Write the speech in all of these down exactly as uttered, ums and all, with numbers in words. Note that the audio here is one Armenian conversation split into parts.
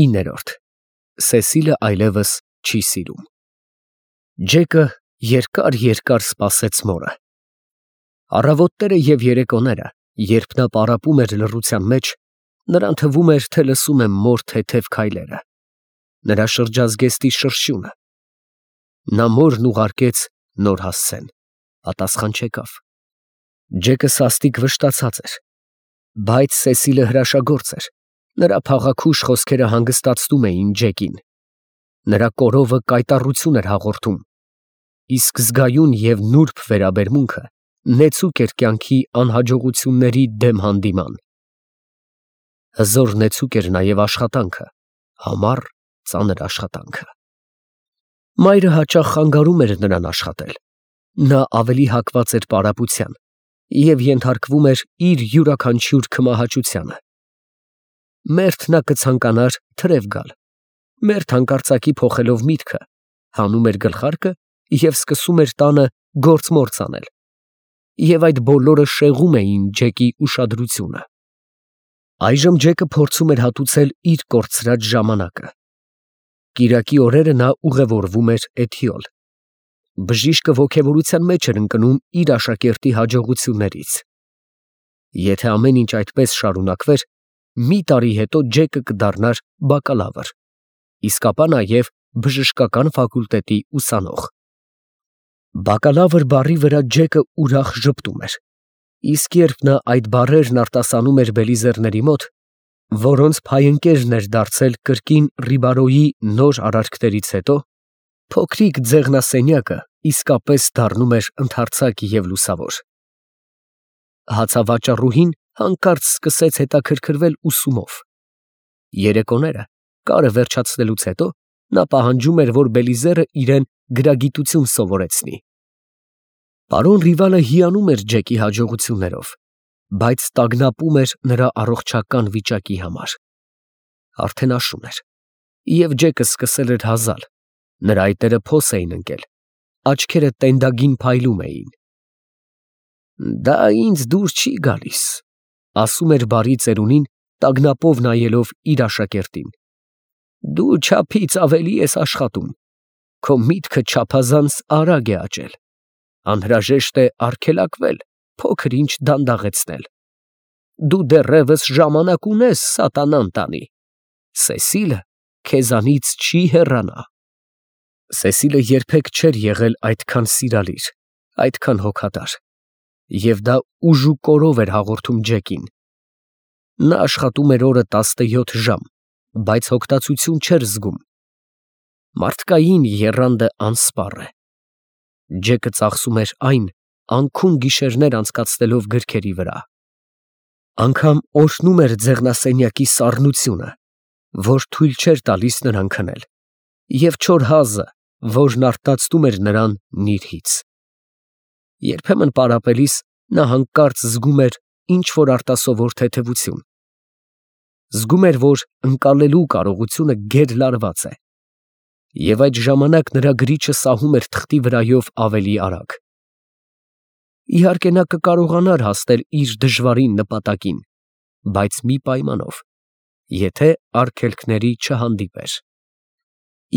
ինը Սեսիլը այլևս չի սիրում։ Ջեկը երկար֊երկար սպասեց մորը։ Առավոտները և երեկոները, երբ նա պարապում էր լռության մեջ, նրան թվում էր, թե լսում է մոր թեթև քայլերը, նրա շրջազգեստի շրշյունը։ Նա մորն ուղարկեց նոր հասցեն, պատասխան չեկավ։ Ջեկը սաստիկ վշտացած էր, բայց Սեսիլը հրաշագործ էր, նրա փաղաքուշ խոսքերը հանգստացնում էին Ջեկին, նրա կորովը կայտառություն էր հաղորդում, իսկ զգայուն և նուրբ վերաբերմունքը նեցուկ էր կյանքի անհաջողությունների դեմ հանդիման։ Հզոր նեցուկ էր նաև աշխատանքը, համառ, ծանր աշխատանքը։ Մայրը հաճախ խանգարում էր նրան աշխատել, նա ավելի հակված էր պարապության և ենթարկվում էր իր յուրաքանչյուր քմահաճությանը։ Մերթ նա կցանկանար թրև գալ, մերթ հանկարծակի փոխելով միտքը, հանում էր գլխարկը և սկսում էր տանը գործ֊մործ անել, և այդ բոլորը շեղում էին Ջեկի ուշադրությունը։ Այժմ Ջեկը փորձում էր հատուցել իր կորցրած ժամանակը։ Կիրակի օրերը նա ուղևորվում էր Էթիոլ։ Բժիշկը ոգևորության մեջ էր ընկնում իր աշակերտի հաջողություններից։ Եթե ամեն ինչ այդպես շարունակվեր, մի տարի հետո Ջեկը կդառնար բակալավր, իսկ ապա նաև բժշկական ֆակուլտետի ուսանող։ Բակալավր բառի վրա Ջեկը ուրախ ժպտում էր, իսկ երբ նա այդ բառերն արտասանում էր բելիզերների մոտ, որոնց փայընկերն էր դարձել կրկին Ռիբարոյի նոր արարքներից հետո, փոքրիկ ձեղնասենյակը իսկապես դառնում էր ընդարձակ և լուսավոր։ Հացավաճառուհին հանկարծ սկսեց հետաքրքրվել ուսումով։ Երեկոները, կարը վերջացնելուց հետո, նա պահանջում էր, որ Բելիզերը իրան գրագիտություն սովորեցնի։ Պարոն Ռիվալը հիանում էր Ջեկի հաջողություններով, բայց տագնապում էր նրա առողջական վիճակի համար։ Արդեն աշուն էր, և Ջեկը սկսել էր հազալ, նրա այտերը փոս էին ընկել, աչքերը տենդագին փայլում էին։ «Դա ինձ դուր չի գալիս», ֊ ասում էր բարի ծերունին, տագնապով նայելով իր աշակերտին։ «Դու չափից ավելի ես աշխատում, քո միտքը չափազանց արագ է աճել, անհրաժեշտ է արգելակվել, փոքր֊ինչ դանդաղեցնել։ Դու դեռևս ժամանակ ունես սատանան տանի, Սեսիլը քեզանից չի հեռանա»։ Սեսիլը երբեք չէր եղել այդքան սիրալիր, այդքան հոգատար, և դա ուժ ու կորով էր հաղորդում Ջեկին։ Նա աշխատում էր օրը տասնյոթ ժամ, բայց հոգտացություն չէր զգում։ Մարդկային եռանդը անսպառ է։ Ջեկը ծախսում էր այն, անքուն գիշերներ անցկացնելով գրքերի վրա։ Անգամ օրհնում էր ձեղնասենյակի սառնությունը, որ թույլ չէր տալիս նրան քնել, և չոր հազը, որն արթնացնում էր նրան նիրհից։ Երբեմն պարապելիս նա հանկարծ զգում էր ինչ֊որ արտասովոր թեթևություն։ Զգում էր, որ ընկալելու կարողությունը գեր֊լարված է, և այդ ժամանակ նրա գրիչը սահում էր թղթի վրայով ավելի արագ։ Իհարկե, նա կկարողանար հասնել իր դժվարին նպատակին, բայց մի պայմանով, եթե արգելքների չհանդիպեր։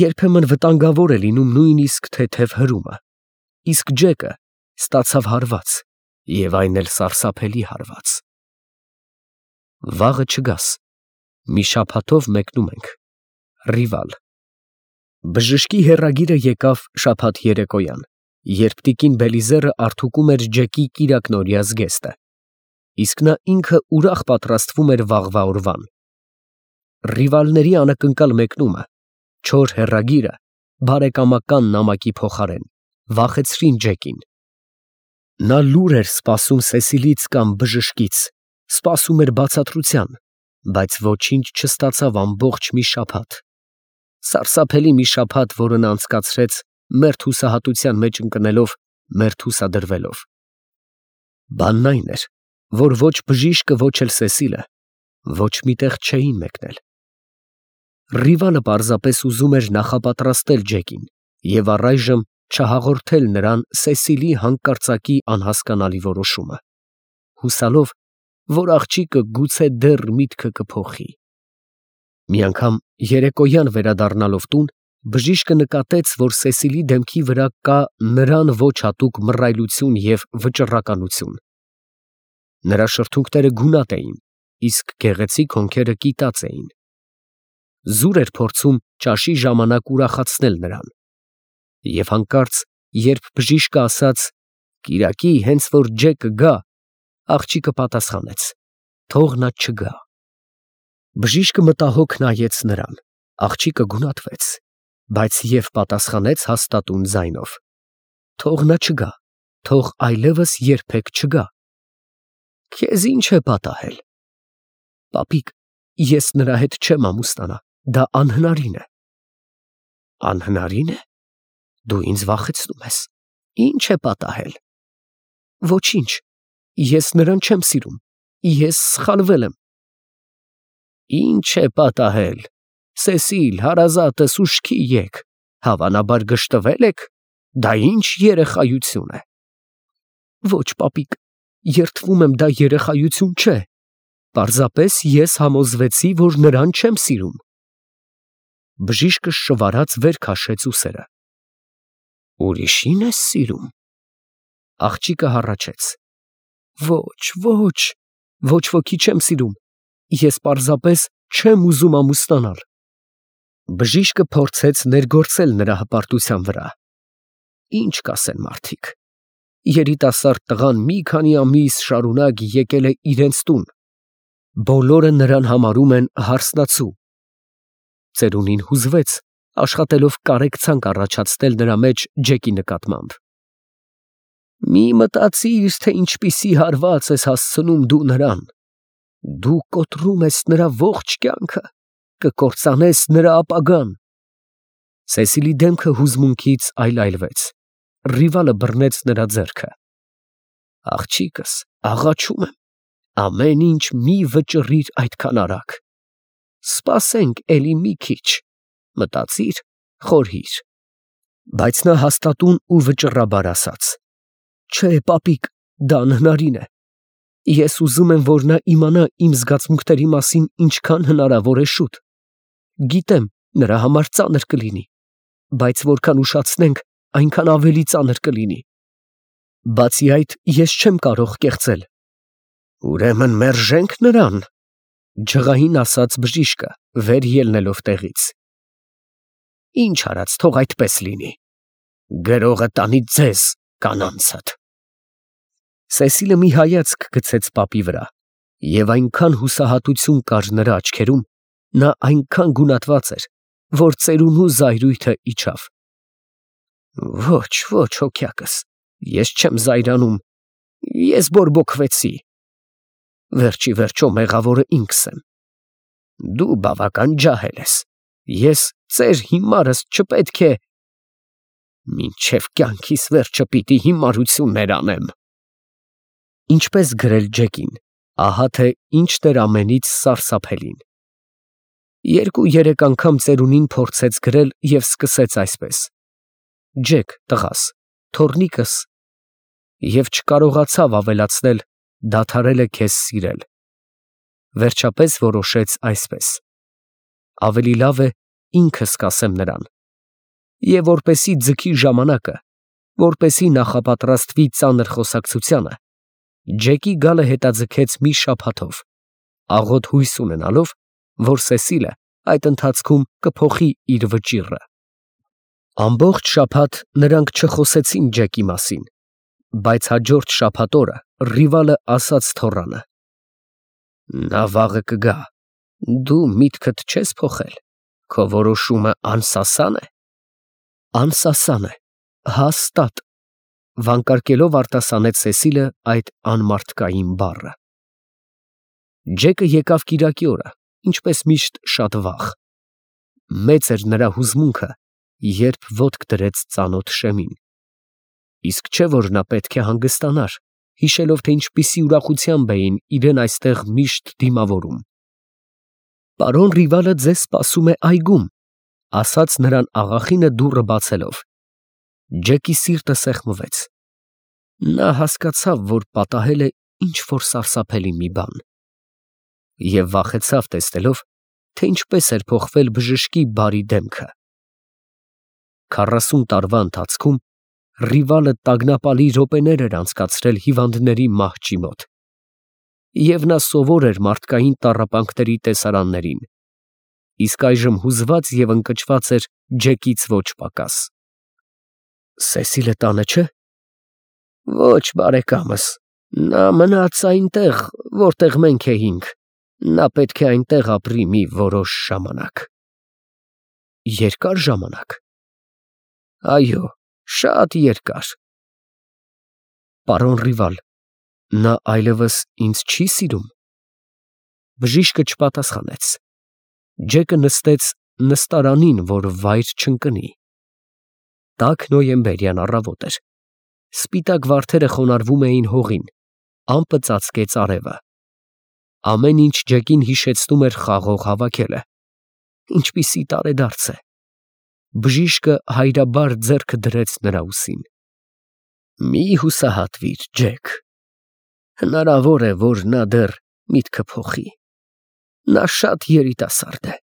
Երբեմն վտանգավոր է լինում նույնիսկ թեթև հրումը, իսկ Ջեկը ստացավ հարված, և այն էլ սարսափելի հարված։ Վաղը չգաս, մի շաբաթով մեկնում ենք։ Ռիվալ։ Բժշկի հեռագիրը եկավ շաբաթ երեկոյան, երբ տիկին Բելիզերը արդուկում էր Ջեկի կիրակնօրյա զգեստը, իսկ նա ինքը ուրախ պատրաստվում էր վաղվա օրվան։ Ռիվալների անակնկալ մեկնումը, չոր հեռագիրը, բարեկամական նամակի փոխարեն, վախեցրին Ջեկին։ Նա լուր էր սպասում Սեսիլից կամ բժշկից, սպասում էր բացատրության, բայց ոչինչ չստացավ ամբողջ մի շաբաթ։ Սարսափելի մի շաբաթ, որը նա անցկացրեց մերթ հուսահատության մեջ ընկնելով, մերթ հուսադրվելով։ Բանն այն էր, որ ոչ բժիշկը, ոչ էլ Սեսիլը ոչ մի տեղ չէին մեկնել։ Ռիվալը պարզապես ուզում էր նախապատրաստել Ջեկին և առայժմ չհաղորդել նրան Սեսիլի հանկարծակի անհասկանալի որոշումը, հուսալով, որ աղջիկը գուցե դեռ միտքը կփոխի։ Մի անգամ երեկոյան վերադառնալով տուն, բժիշկը նկատեց, որ Սեսիլի դեմքի վրա կա նրան ոչ հատուկ մռայլություն և վճռականություն. նրա շրթունքները գունատ էին, իսկ գեղեցիկ հոնքերը կիտած էին։ Զուր էր փորձում ճաշի ժամանակ ուրախացնել նրան, և հանկարծ, երբ բժիշկը ասաց. «Կիրակի, հենց որ Ջեկը գա», աղջիկը պատասխանեց. «Թող նա չգա»։ Բժիշկը մտահոգ նայեց նրան, աղջիկը գունատվեց, բայց և պատասխանեց հաստատուն ձայնով. «Թող նա չգա, թող այլևս երբեք չգա»։ «Քեզ ի՞նչ է պատահել»։ «Պապիկ, ես նրա հետ չեմ ամուսնանա, դա անհնարին է»։ «Անհնարի՞ն է, դու ինձ վախեցնում ես, ի՞նչ է պատահել»։ «Ոչինչ, ես նրան չեմ սիրում, ես սխալվել եմ»։ «Ի՞նչ է պատահել, Սեսիլ, հարազատս, ուշքի եկ, հավանաբար գժտվե՞լ եք, դա ի՞նչ երեխայություն է»։ «Ոչ, պապիկ, երդվում եմ, դա երեխայություն չէ, պարզապես ես համոզվեցի, որ նրան չեմ սիրում»։ Բժիշկը շվարած վեր քաշեց ուսերը։ «Ուրիշի՞ն ես սիրում»։ Աղջիկը հառաչեց. «Ոչ, ոչ, ոչ ոքի չեմ սիրում, ես պարզապես չեմ ուզում ամուսնանալ»։ Բժիշկը փորձեց ներգործել նրա հպարտության վրա։ Ինչ կասեն մարդիկ, երիտասարդ տղան մի քանի ամիս շարունակ եկել է իրենց տուն, բոլորը նրան համարում են հարսնացու։ Ծերունին հուզվեց, աշխատելով կարեկցանք առաջացնել նրա մեջ Ջեկի նկատմամբ։ «Մի մտածիր, թե ինչպիսի հարված ես հասցնում դու նրան, դու կոտրում ես նրա ողջ կյանքը, կկործանես նրա ապագան»։ Սեսիլի դեմքը հուզմունքից այլայլվեց, ռիվալը բռնեց նրա ձեռքը։ «Աղջիկս, աղաչում եմ, ամեն ինչ մի վճռիր այդքան արագ, սպասենք էլի մի քիչ, մտածիր, խորհիր»։ Բայց նա հաստատուն ու վճռաբար ասաց. «Չէ, պապիկ, դա անհնարին է, ես ուզում եմ, որ նա իմանա իմ զգացմունքների մասին ինչքան հնարավոր է շուտ, գիտեմ, նրա համար ծանր կլինի, բայց որքան ուշացնենք, այնքան ավելի ծանր կլինի։ Բացի այդ, ես չեմ կարող կեղծել»։ «Ուրեմն մերժենք նրան», ջղային ասաց բժիշկը, վեր ելնելով տեղից։ «Ինչ արած, թող այդպես լինի, գրողը տանի ձեզ կանանցդ»։ Սեսիլը մի հայացք գցեց պապի վրա, և այնքան հուսահատություն կար նրա աչքերում, նա այնքան գունատված էր, որ ծերունու զայրույթը իջավ։ «Ոչ, ոչ, հոգյակս, ես չեմ զայրանում, ես բորբոքվեցի, վերջի վերջո մեղավորը ինքս եմ։ Դու բավական ջահել ես, ես ծեր հիմարս չպետք է… մինչև կյանքիս վերջը պիտի հիմարություններ անեմ»։ Ինչպես գրել Ջեկին, ահա թե ինչ էր ամենից սարսափելին։ Երկու֊երեք անգամ ծերունին փորձեց գրել և սկսեց այսպես. «Ջեք, տղաս, թոռնիկս», և չկարողացավ ավելացնել. «դադարել է քեզ սիրել»։ Վերջապես որոշեց այսպես. «Ավելի լավ է ինքս կասեմ նրան»։ Եվ որպեսզի ձգի ժամանակը, որպեսզի նախապատրաստվի ծանր խոսակցությանը, Ջեկի գալը հետաձգեց մի շաբաթով, աղոտ հույս ունենալով, որ Սեսիլը այդ ընթացքում կփոխի իր վճիռը։ Ամբողջ շաբաթ նրանք չխոսեցին Ջեկի մասին, բայց հաջորդ շաբաթ օրը ռիվալը ասաց թոռանը. «Նա վաղը կգա, դու միտքդ չես փոխել, քո որոշումը անսասա՞ն է»։ «Անսասան է, հաստատ», վանկարկելով արտասանեց Սեսիլը այդ անմարդկային բառը։ Ջեկը եկավ կիրակի օրը, ինչպես միշտ շատ վաղ։ Մեծ էր նրա հուզմունքը, երբ ոտք դրեց ծանոթ շեմին։ Իսկ չէ՞ որ նա պետք է հանգստանար, հիշելով, թե ինչպիսի ուրախությամբ էին իրեն այստեղ միշտ դիմավորում։ «Պարոն ռիվալը ձեզ սպասում է այգում», ասաց նրան աղախինը դուռը բացելով։ Ջեկի սիրտը սեղմվեց։ Նա հասկացավ, որ պատահել է ինչ֊որ սարսափելի մի բան, և վախեցավ տեսնելով, թե ինչպես էր փոխվել բժշկի բարի դեմքը։ Քառասուն տարվա ընթացքում Ռիվալը տագնապալի րոպեներ էր անցկացրել հիվանդների մահճի մոտ, և նա սովոր էր մարդկային տառապանքների տեսարաններին, իսկ այժմ հուզված և ընկճված էր Ջեկից ոչ պակաս։ «Սեսիլը տանը չէ՞։ ֊ Ոչ, բարեկամս, նա մնաց այնտեղ, որտեղ մենք էինք, նա պետք է այնտեղ ապրի մի որոշ ժամանակ։ ֊ Երկա՞ր ժամանակ։ ֊ Այո, շատ երկար։ ֊ Պարոն Ռիվալ, նա այլևս ինձ չի սիրում։ Բժիշկը չպատասխանեց։ Ջեկը նստեց նստարանին, որ վայր չընկնի։ Տաք նոյեմբերյան առավոտ էր։ Սպիտակ վարդերը խոնարհվում էին հողին, ամպը ծածկեց արևը։ Ամեն ինչ Ջեկին հիշեցնում էր խաղող հավաքելը։ Ինչպիսի տարեդարձ է։ Բժիշկը հայրաբար ձեռքը դրեց նրա ուսին։ Մի հուսահատվիր, Ջեք, հնարավոր է, որ նա դեռ միտքը փոխի։ Նա շատ երիտասարդ է,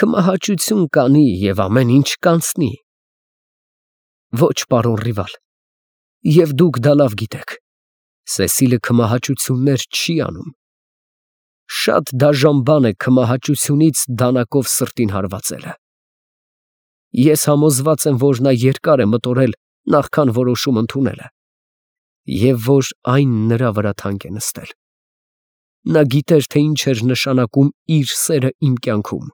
քմահաճություն կանի և ամեն ինչ կանցնի։ Ոչ, պարոն Ռիվալ, և դուք դա լավ գիտեք, Սեսիլը քմահաճություններ չի անում։ Շատ դաժան բան է քմահաճությունից դանակով սրտին հարվածելը։ Ես համոզված եմ, որ նա երկար է մտորել նախքան որոշում ընդունելը, և որ այն նրա վրա թանկ է նստել։ Նա գիտեր, թե ինչ էր նշանակում իր սերը իմ կյանքում։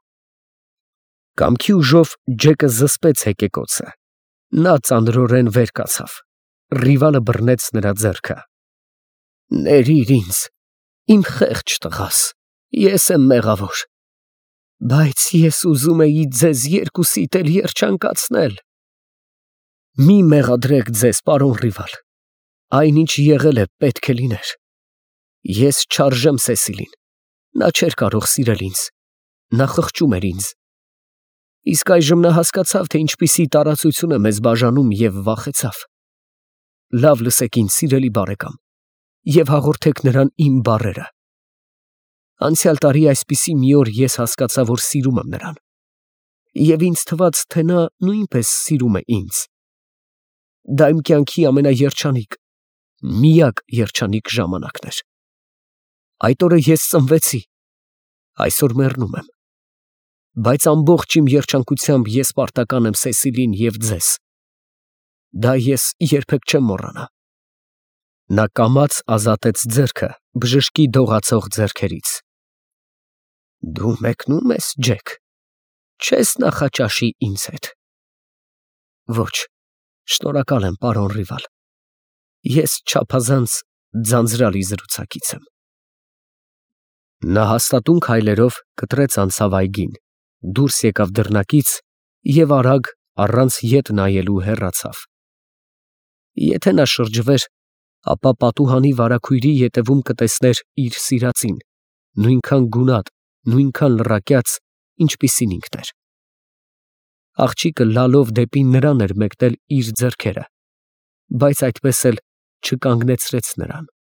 Կամքի ուժով Ջեկը զսպեց հեկեկոցը։ Նա ծանրորեն վեր կացավ։ Ռիվալը բռնեց նրա ձեռքը։ Ներիր ինձ, իմ խեղճ տղաս, ես եմ մեղավոր, բայց ես ուզում էի ձեզ երկուսիդ էլ երջանկացնել։ Մի մեղադրեք ձեզ, պարոն Ռիվալ, այնինչ եղել է, պետք է լիներ։ Ես չարժեմ Սեսիլին, նա չէր կարող սիրել ինձ, նա խղճում էր ինձ։ Իսկ այժմ նա հասկացավ, թե ինչպիսի տարածություն է մեզ բաժանում և վախեցավ։ Լավ լսեք ինձ, սիրելի բարեկամ, և հաղորդեք նրան իմ բառերը։ Անցյալ տարի այսպիսի մի օր ես հասկացա, որ սիրում եմ նրան, և ինձ թվաց, թե նա նույնպես սիրում է ինձ։ Դա իմ կյանքի ամենաերջանիկ, միակ երջանիկ ժամանակն էր։ Այդ օրը ես ծնվեցի, այսօր մեռնում եմ, բայց ամբողջ իմ երջանկությամբ ես պարտական եմ Սեսիլին և ձեզ։ Դա ես երբեք չեմ մոռանա։ Նա կամաց ազատեց ձեռքը բժշկի դողացող ձեռքերից։ Դու մեկնո՞ւմ ես, Ջեք, չես նախաճաշի ինձ հետ։ Ոչ, շնորհակալ եմ, պարոն Ռիվալ, ես չափազանց ձանձրալի զրուցակից եմ։ Նա հաստատուն քայլերով կտրեց անցավ այգին, դուրս եկավ դռնակից և արագ, առանց ետ նայելու հեռացավ։ Եթե նա շրջվեր, ապա պատուհանի վարագույրի ետևում կտեսներ իր սիրածին, նույնքան գունատ, նույնքան լռակյաց, ինչպիսին ինքն էր։ Աղջիկը լալով դեպի նրան էր մեկնել իր ձեռքերը, բայց այդպես էլ չկանգնեցրեց նրան։